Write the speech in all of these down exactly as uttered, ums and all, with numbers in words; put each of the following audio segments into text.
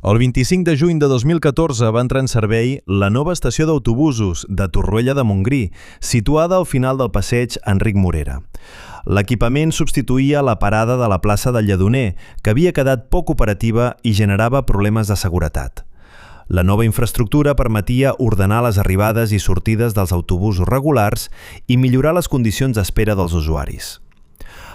El vint-i-cinc de juny de dos mil catorze va entrar en servei la nova estació d'autobusos de Torroella de Montgrí, situada al final del passeig Enric Morera. L'equipament substituïa la parada de la plaça del Lledoner, que havia quedat poc operativa i generava problemes de seguretat. La nova infraestructura permetia ordenar les arribades i sortides dels autobusos regulars i millorar les condicions d'espera dels usuaris.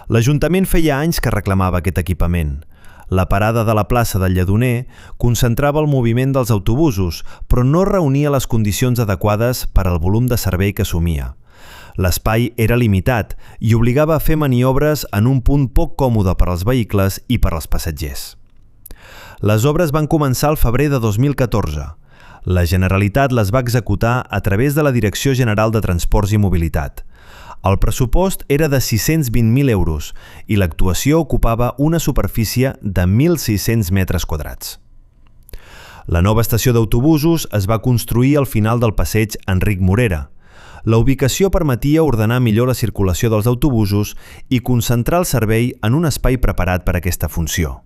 L'Ajuntament feia anys que reclamava aquest equipament. La parada de la plaça del Lledoner concentrava el moviment dels autobusos, però no reunia les condicions adequades per al volum de servei que assumia. L'espai era limitat i obligava a fer maniobres en un punt poc còmode per als vehicles i per als passatgers. Les obres van començar al febrer de dos mil catorze. La Generalitat les va executar a través de la Direcció General de Transports i Mobilitat. El pressupost era de sis-cents vint mil euros i l'actuació ocupava una superfície de mil sis-cents metres quadrats. La nova estació d'autobusos es va construir al final del passeig Enric Morera. La ubicació permetia ordenar millor la circulació dels autobusos i concentrar el servei en un espai preparat per a aquesta funció.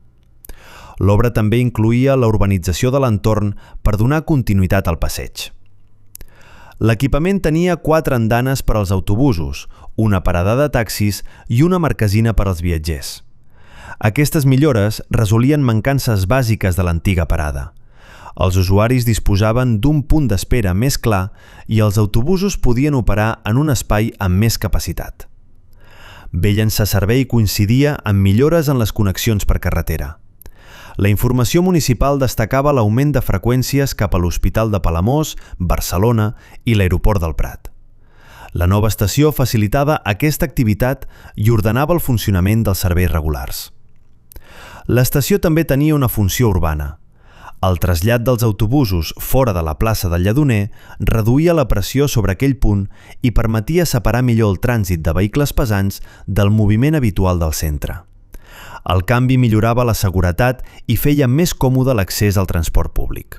L'obra també incloïa la urbanització de l'entorn per donar continuïtat al passeig. L'equipament tenia quatre andanes per als autobusos, una parada de taxis i una marquesina per als viatgers. Aquestes millores resolien mancances bàsiques de l'antiga parada. Els usuaris disposaven d'un punt d'espera més clar i els autobusos podien operar en un espai amb més capacitat. Bé llançar servei coincidia amb millores en les connexions per carretera. La informació municipal destacava l'augment de freqüències cap a l'Hospital de Palamós, Barcelona i l'Aeroport del Prat. La nova estació facilitava aquesta activitat i ordenava el funcionament dels serveis regulars. L'estació també tenia una funció urbana. El trasllat dels autobusos fora de la plaça del Lledoner reduïa la pressió sobre aquell punt i permetia separar millor el trànsit de vehicles pesants del moviment habitual del centre. El canvi millorava la seguretat i feia més còmode l'accés al transport públic.